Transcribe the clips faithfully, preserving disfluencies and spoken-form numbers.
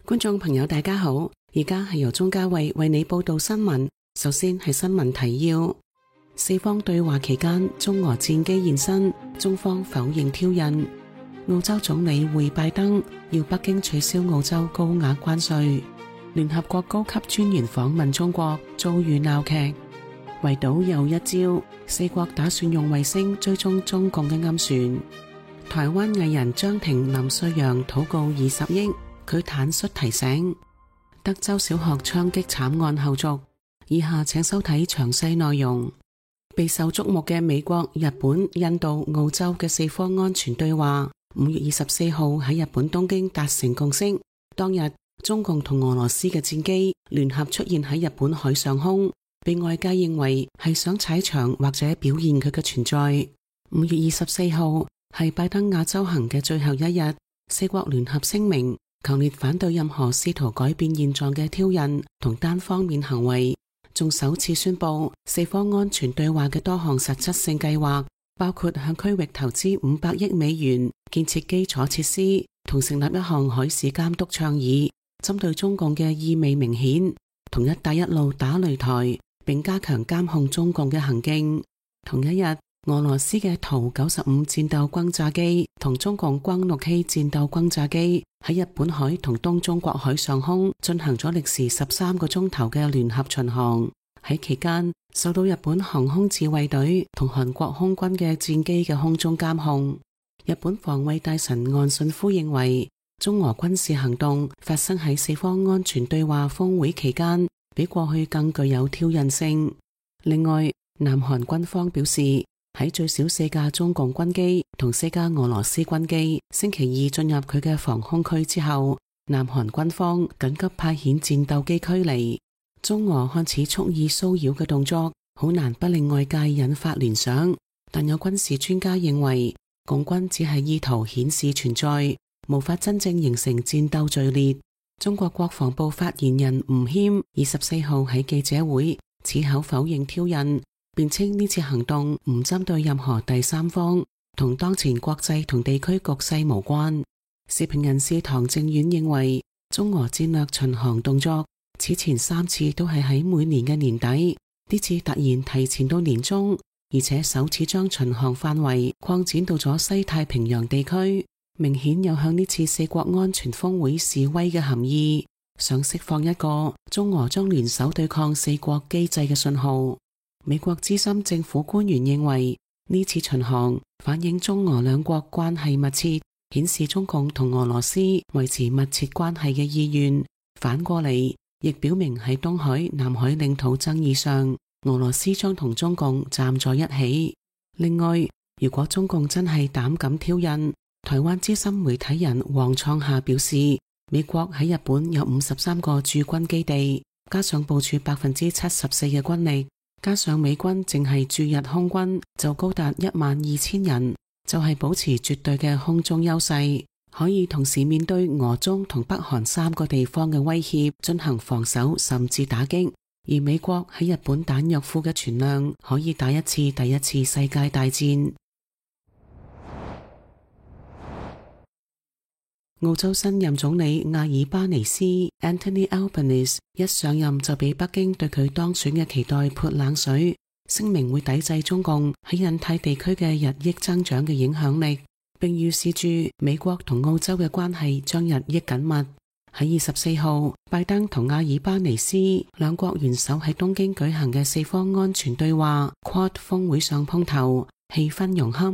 觀眾朋友大家好，而家係由鍾嘉慧為你報道新聞。首先係新聞提要：四方對話期間，中俄戰機現身，中方否認挑釁。澳洲總理會拜登，要北京取消澳洲高額關稅。聯合國高級專員訪問中國，遭遇鬧劇。圍堵又一招，四國打算用衛星追蹤中共嘅暗船。台灣藝人張庭林瑞陽禱告二十億，佢坦率提醒。德州小學槍擊慘案後續，以下請收睇詳細內容。備受矚目嘅美國、日本、印度、澳洲嘅四方安全對話，五月二十四號喺日本東京達成共識。當日，中共同俄羅斯嘅戰機聯合出現喺日本海上空，被外界認為係想踩場或者表現佢嘅存在。五月二十四號係拜登亞洲行嘅最後一日，四國聯合聲明，強烈反對任何試圖改變現狀嘅挑釁同單方面行為，仲首次宣布四方安全對話嘅多項實質性計劃，包括向區域投資五百億美元建設基礎設施，同成立一項海事監督倡議，針對中共嘅意味明顯，同一帶一路打擂台，並加強監控中共嘅行徑。同一日，俄羅斯嘅圖九十五戰鬥轟炸機同中共轟六 K 戰鬥轟炸機喺日本海同東中國海上空進行咗歷時十三個鐘頭嘅聯合巡航。喺期間，受到日本航空自衛隊同韓國空軍嘅戰機嘅空中監控。日本防衛大臣岸信夫認為，中俄軍事行動發生喺四方安全對話峰會期間，比過去更具有挑釁性。另外，南韓軍方表示，喺最少四架中共軍機同四架俄羅斯軍機星期二進入佢嘅防空區之後，南韓軍方緊急派遣戰鬥機驅離。中俄看似蓄意騷擾嘅動作，好難不令外界引發聯想。但有軍事專家認為，共軍只係意圖顯示存在，無法真正形成戰鬥序列。中國國防部發言人吳謙二十四號喺記者會矢口否認挑釁，辯稱呢次行動唔針對任何第三方，同當前國際同地區局勢無關。時評人士唐正遠認為，中俄戰略巡航動作此前三次都係喺每年嘅年底，呢次突然提前到年中，而且首次將巡航範圍擴展到咗西太平洋地區，明顯有向呢次四國安全峰會示威嘅含義，想釋放一個中俄將聯手對抗四國機制嘅信號。美國資深政府官員認為，呢次巡航反映中俄兩國關係密切，顯示中共同俄羅斯維持密切關係嘅意願。反過嚟，亦表明喺東海、南海領土爭議上，俄羅斯將同中共站在一起。另外，如果中共真係膽敢挑釁，台灣資深媒體人黃創夏表示，美國喺日本有五十三個駐軍基地，加上部署百分之七十四嘅軍力，加上美軍淨係駐日空軍就高達一萬二千人，就係保持絕對嘅空中優勢，可以同時面對俄中同北韓三個地方嘅威脅進行防守甚至打擊。而美國喺日本彈藥庫嘅存量可以打一次第一次世界大戰。澳洲新任總理阿爾巴尼斯 Anthony Albanese 一上任就俾北京對佢當選嘅期待潑冷水，聲明會抵制中共喺印太地區嘅日益增長嘅影響力，並預示住美國同澳洲嘅關係將日益緊密。喺二十四號，拜登同阿爾巴尼斯兩國元首喺東京舉行嘅四方安全對話 Quad 峰會上碰頭，氣氛融洽。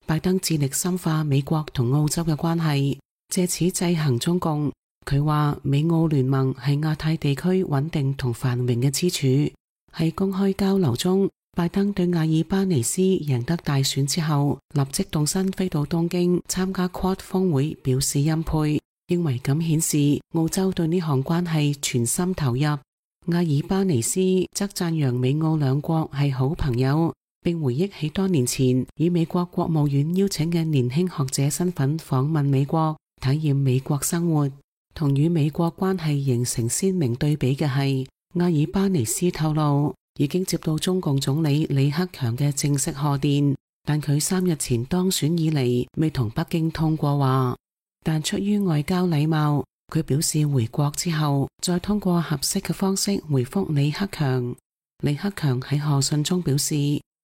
拜登致力深化美國同澳洲嘅關係，借此制衡中共。佢話美澳聯盟係亞太地區穩定同繁榮嘅支柱。喺公開交流中，拜登對阿爾巴尼斯贏得大選之後立即動身飛到東京參加 Quad 峰會表示欽佩，認為咁顯示澳洲對呢項關係全心投入。阿爾巴尼斯則讚揚美澳兩國係好朋友，並回憶起多年前以美國國務院邀請嘅年輕學者身份訪問美國，體驗美國生活。同與美國關係形成鮮明對比嘅係，阿爾巴尼斯透露已經接到中共總理李克強嘅正式賀電，但佢三日前當選以嚟未同北京通過話。但出於外交禮貌，佢表示回國之後再通過合適嘅方式回覆李克強。李克強喺賀信中表示，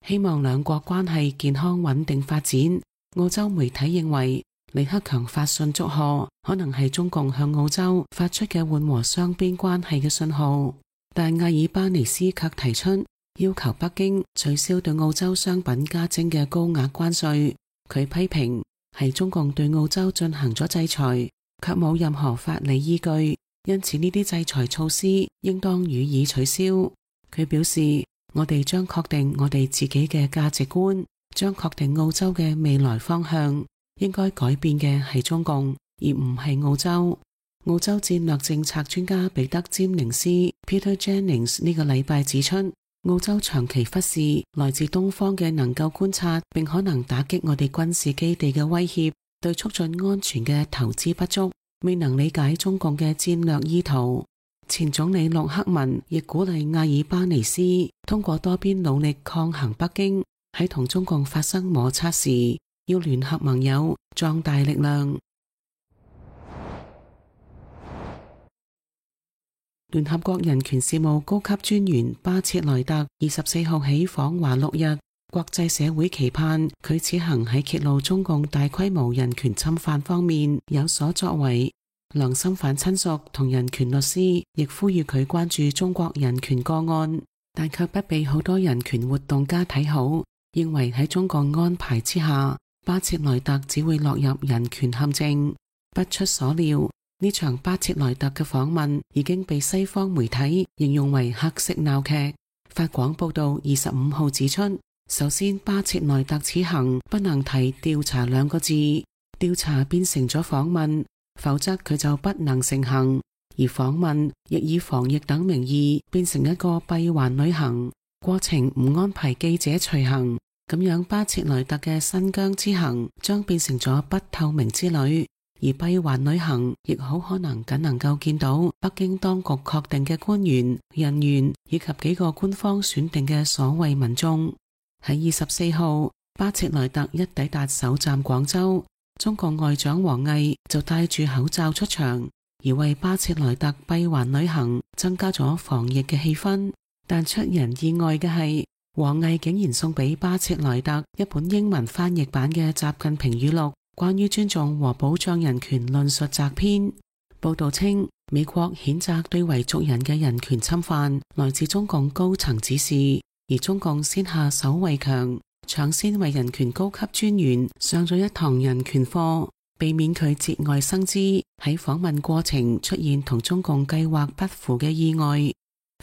希望兩國關係健康穩定發展。澳洲媒體認為李克強發信祝賀可能係中共向澳洲發出嘅緩和雙邊關係嘅信號，但阿爾巴尼斯卻提出要求北京取消對澳洲商品加徵嘅高額關稅。佢批評係中共對澳洲進行咗制裁，卻冇任何法理依據，因此呢啲制裁措施應當予以取消。佢表示，我哋將確定我哋自己嘅價值觀，將確定澳洲嘅未來方向。應該改變嘅係中共，而唔係澳洲。澳洲戰略政策專家彼得詹寧斯 Peter Jennings 呢個禮拜指出，澳洲長期忽視來自東方嘅能夠觀察並可能打擊我哋軍事基地嘅威脅，對促進安全嘅投資不足，未能理解中共嘅戰略意圖。前總理陸克文亦鼓勵阿爾巴尼斯通過多邊努力抗衡北京，喺同中共發生摩擦時要聯合盟友，壯大力量。聯合國人權事務高級專員巴切萊特二十四號起訪華六日，國際社會期盼佢此行喺揭露中共大規模人權侵犯方面有所作為。良心犯親屬同人權律師亦呼籲佢關注中國人權個案，但卻不被好多人權活動家睇好，認為喺中共安排之下，巴切萊特只會落入人權陷阱。不出所料，呢場巴切萊特嘅訪問已經被西方媒體形容為黑色鬧劇。法廣報道二十五號指出，首先巴切萊特此行不能提調查兩個字，調查變成咗訪問，否則佢就不能成行，而訪問亦以防疫等名義變成一個閉環旅行，過程唔安排記者隨行。咁樣巴切萊特嘅新疆之行將變成咗不透明之旅，而閉環旅行亦好可能僅能夠見到北京當局確定嘅官員、人員以及幾個官方選定嘅所謂民眾。喺二十四號，巴切萊特一抵達首站廣州，中共外長王毅就戴住口罩出場，而為巴切萊特閉環旅行增加咗防疫嘅氣氛。但出人意外嘅係，王毅竟然送俾巴切萊特一本英文翻譯版嘅習近平語錄，關於尊重和保障人權論述摘篇。報道稱，美國譴責對維族人嘅人權侵犯來自中共高層指示，而中共先下手為強，搶先為人權高級專員上咗一堂人權課，避免佢節外生枝，喺訪問過程出現同中共計劃不符嘅意外。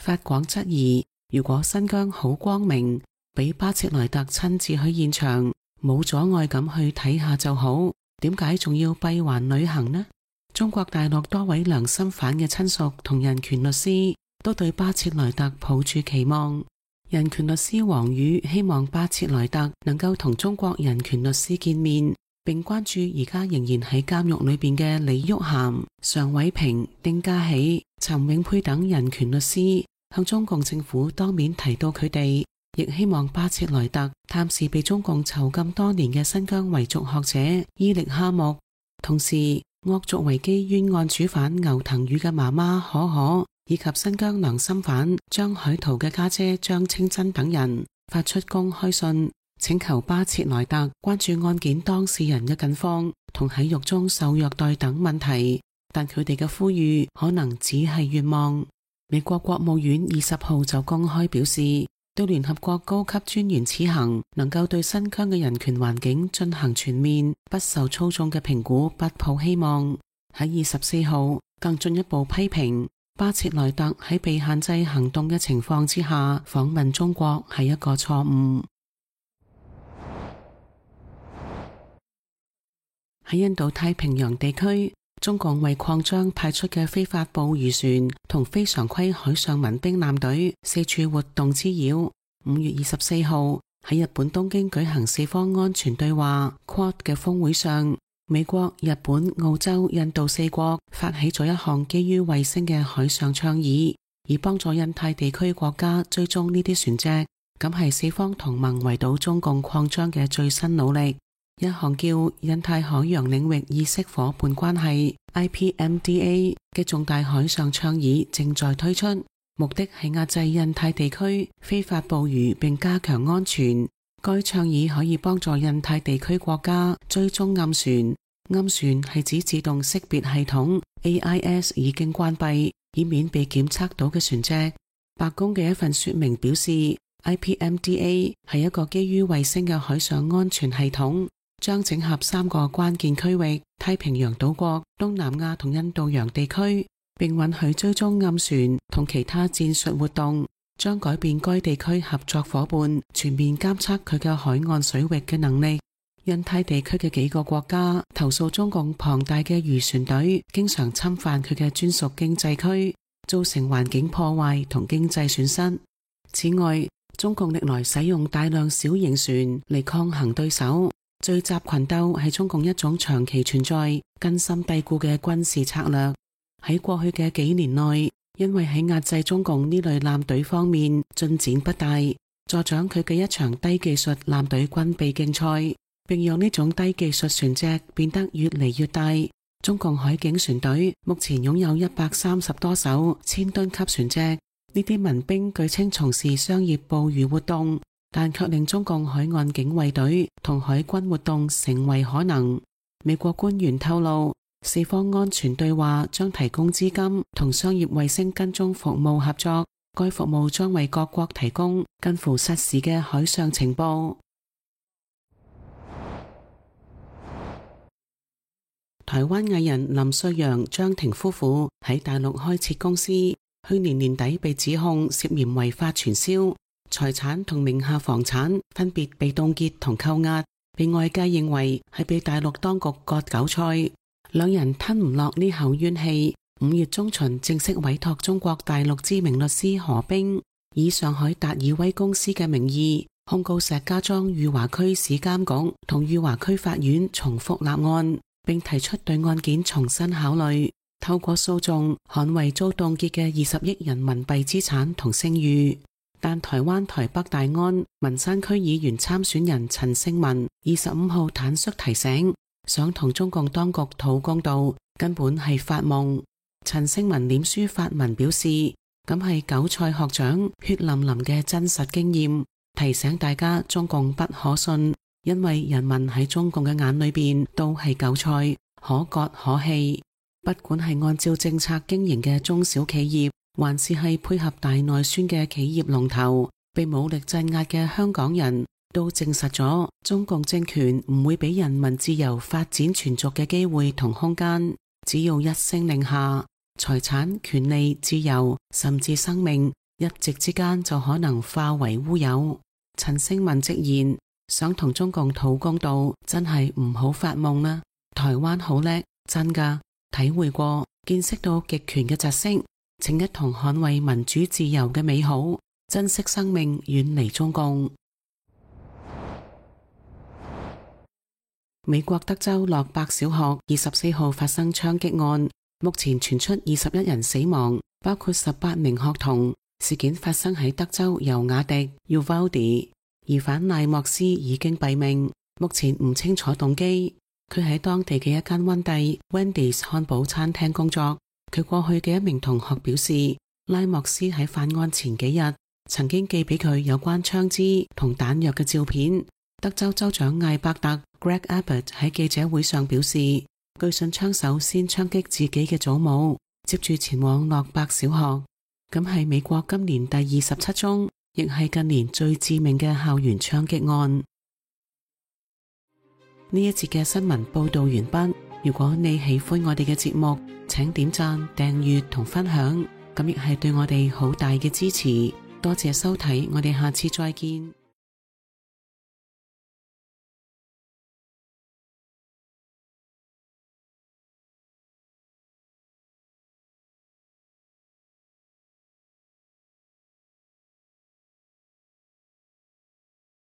法廣質疑，如果新疆好光明，俾巴切萊特親自去現場，冇阻礙咁去睇下就好，點解仲要閉環旅行呢？中國大陸多位良心犯嘅親屬同人權律師都對巴切萊特抱住期望。人權律師王宇希望巴切萊特能夠同中國人權律師見面，並關注而家仍然喺監獄裏邊嘅李玉涵、常偉平、丁家喜、陳永佩等人權律師，向中共政府當面提到佢哋，亦希望巴切萊特探視被中共囚禁多年嘅新疆維族學者伊力哈木。同時，惡俗維基冤案主犯牛騰宇嘅媽媽可可，以及新疆良心犯張海濤嘅家姐張清真等人發出公開信，請求巴切萊特關注案件當事人嘅近況同喺獄中受虐待等問題，但佢哋嘅呼籲可能只係願望。美國國務院二十號就公開表示，對聯合國高級專員此行能夠對新疆嘅人權環境進行全面不受操縱嘅評估不抱希望。喺二十四號更進一步批評巴切萊特喺被限制行動嘅情況之下訪問中國係一個錯誤。喺印度太平洋地區，中共為擴張派出嘅非法捕魚船同非常規海上民兵艦隊四處活動滋擾。五月二十四號喺日本東京舉行四方安全對話 Quad 嘅峰會上，美國、日本、澳洲、印度四國發起咗一項基於衛星嘅海上倡議，以幫助印太地區國家追蹤呢啲船隻。咁係四方同盟圍堵中共擴張嘅最新努力。一項叫印太海洋領域意識夥伴關係 I P M D A 嘅重大海上倡議正在推出，目的係壓制印太地區非法捕魚並加強安全。該倡議可以幫助印太地區國家追蹤暗船，暗船係指自動識別系統 A I S 已經關閉，以免被檢測到嘅船隻。白宮嘅一份說明表示， I P M D A 係一個基於衛星嘅海上安全系統，將整合三個關鍵區域：太平洋島國、東南亞同印度洋地區，並允許追蹤暗船同其他戰術活動，將改變該地區合作夥伴全面監測佢嘅海岸水域嘅能力。印太地區嘅幾個國家投訴中共龐大嘅漁船隊經常侵犯佢嘅專屬經濟區，造成環境破壞同經濟損失。此外，中共歷來使用大量小型船嚟抗衡對手。聚集群鬥係中共一種長期存在、根深蒂固嘅軍事策略。喺過去嘅幾年內，因為喺壓制中共呢類艦隊方面進展不大，助長佢嘅一場低技術艦隊軍備競賽，並讓呢種低技術船隻變得越嚟越大。中共海警船隊目前擁有一百三十多艘千噸級船隻，呢啲民兵據稱從事商業捕魚活動，但卻令中共海岸警衛隊同海軍活動成為可能。美國官員透露，四方安全對話將提供資金同商業衛星跟蹤服務合作，該服務將為各國提供近乎實時嘅海上情報。台灣藝人林瑞陽、張庭夫婦喺大陸開設公司，去年年底被指控涉嫌違法傳銷，財產同名下房產分別被凍結同扣押，被外界認為係被大陸當局割韭菜。兩人吞唔落呢口怨氣，五月中旬正式委託中國大陸知名律師何冰，以上海達爾威公司嘅名義控告石家莊裕華區市監局同裕華區法院重複立案，並提出對案件重新考慮，透過訴訟捍衛遭凍結嘅二十億人民幣資產同聲譽。但台灣台北大安文山區議員參選人陳勝文二十五號坦率提醒，想同中共當局討公道根本係發夢。陳勝文臉書發文表示，咁係韭菜學長血淋淋嘅真實經驗，提醒大家中共不可信，因為人民喺中共嘅眼裏邊都係韭菜，可割可棄。不管係按照政策經營嘅中小企業，還是係配合大內宣嘅企業龍頭，被武力鎮壓嘅香港人都證實咗，中共政權唔會俾人民自由發展存續嘅機會同空間。只要一聲令下，財產、權利、自由，甚至生命，一夕之間就可能化為烏有。陳勝文直言，想同中共討公道，真係唔好發夢啦！台灣好叻，真噶，體會過、見識到極權嘅窒息，請一同捍衛民主自由嘅美好，珍惜生命，遠離中共。美國德州洛伯小學二十四號發生槍擊案，目前傳出二十一人死亡，包括十八名學童。事件發生喺德州尤瓦迪 Uvalde， 疑犯賴莫斯已經斃命，目前唔清楚動機。佢喺當地嘅一間溫蒂 Wendy's 漢堡餐廳工作。佢過去嘅一名同學表示，拉莫斯喺犯案前幾日曾經寄俾佢有關槍支同彈藥嘅照片。德州州長艾伯特 Greg Abbott 喺記者會上表示，據信槍手先槍擊自己嘅祖母，接住前往洛伯小學。咁係美國今年第二十七宗，亦係近年最致命嘅校園槍擊案。呢一節嘅新聞報道完畢。如果你喜歡我哋嘅節目，請點讚、訂閱同分享，咁亦係對我哋好大嘅支持。多謝收睇，我哋下次再見。